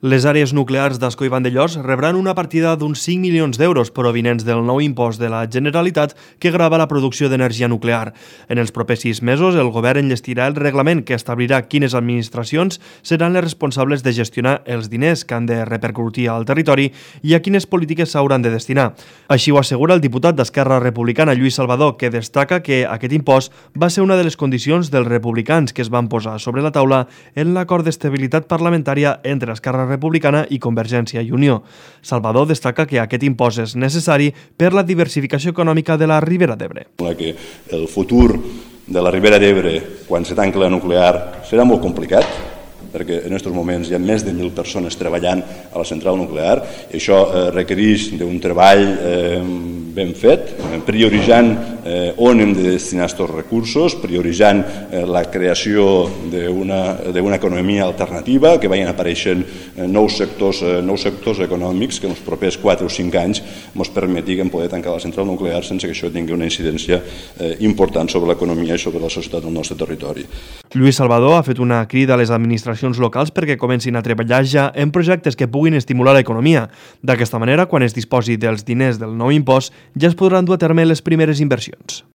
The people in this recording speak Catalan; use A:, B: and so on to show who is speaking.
A: Les àrees nuclears d'Ascó i Vandellòs rebran una partida d'uns 5 milions d'euros provinents del nou impost de la Generalitat que grava la producció d'energia nuclear. En els propers 6 mesos, el govern enllestirà el reglament que establirà quines administracions seran les responsables de gestionar els diners que han de repercutir al territori i a quines polítiques s'hauran de destinar. Així ho assegura el diputat d'Esquerra Republicana, Lluís Salvador, que destaca que aquest impost va ser una de les condicions dels republicans que es van posar sobre la taula en l'acord d'estabilitat parlamentària entre Esquerra Republicana i Convergència i Unió. Salvador destaca que aquest impost és necessari per la diversificació econòmica de la Ribera d'Ebre.
B: Que el futur de la Ribera d'Ebre, quan se tanqui la nuclear, serà molt complicat, perquè en aquests moments hi ha més de 1.000 persones treballant a la central nuclear i això requereix d'un treball ben fet, prioritzant on hem de destinar aquests recursos, prioritzant la creació d'una economia alternativa, que vagin apareixent nous sectors econòmics que en els propers 4 o 5 anys ens permetin poder tancar la central nuclear sense que això tingui una incidència important sobre l'economia i sobre la societat del nostre territori.
A: Lluís Salvador ha fet una crida a les administracions locals perquè comencin a treballar ja en projectes que puguin estimular l'economia. D'aquesta manera, quan es disposi dels diners del nou impost, ja es podran dur a terme les primeres inversions.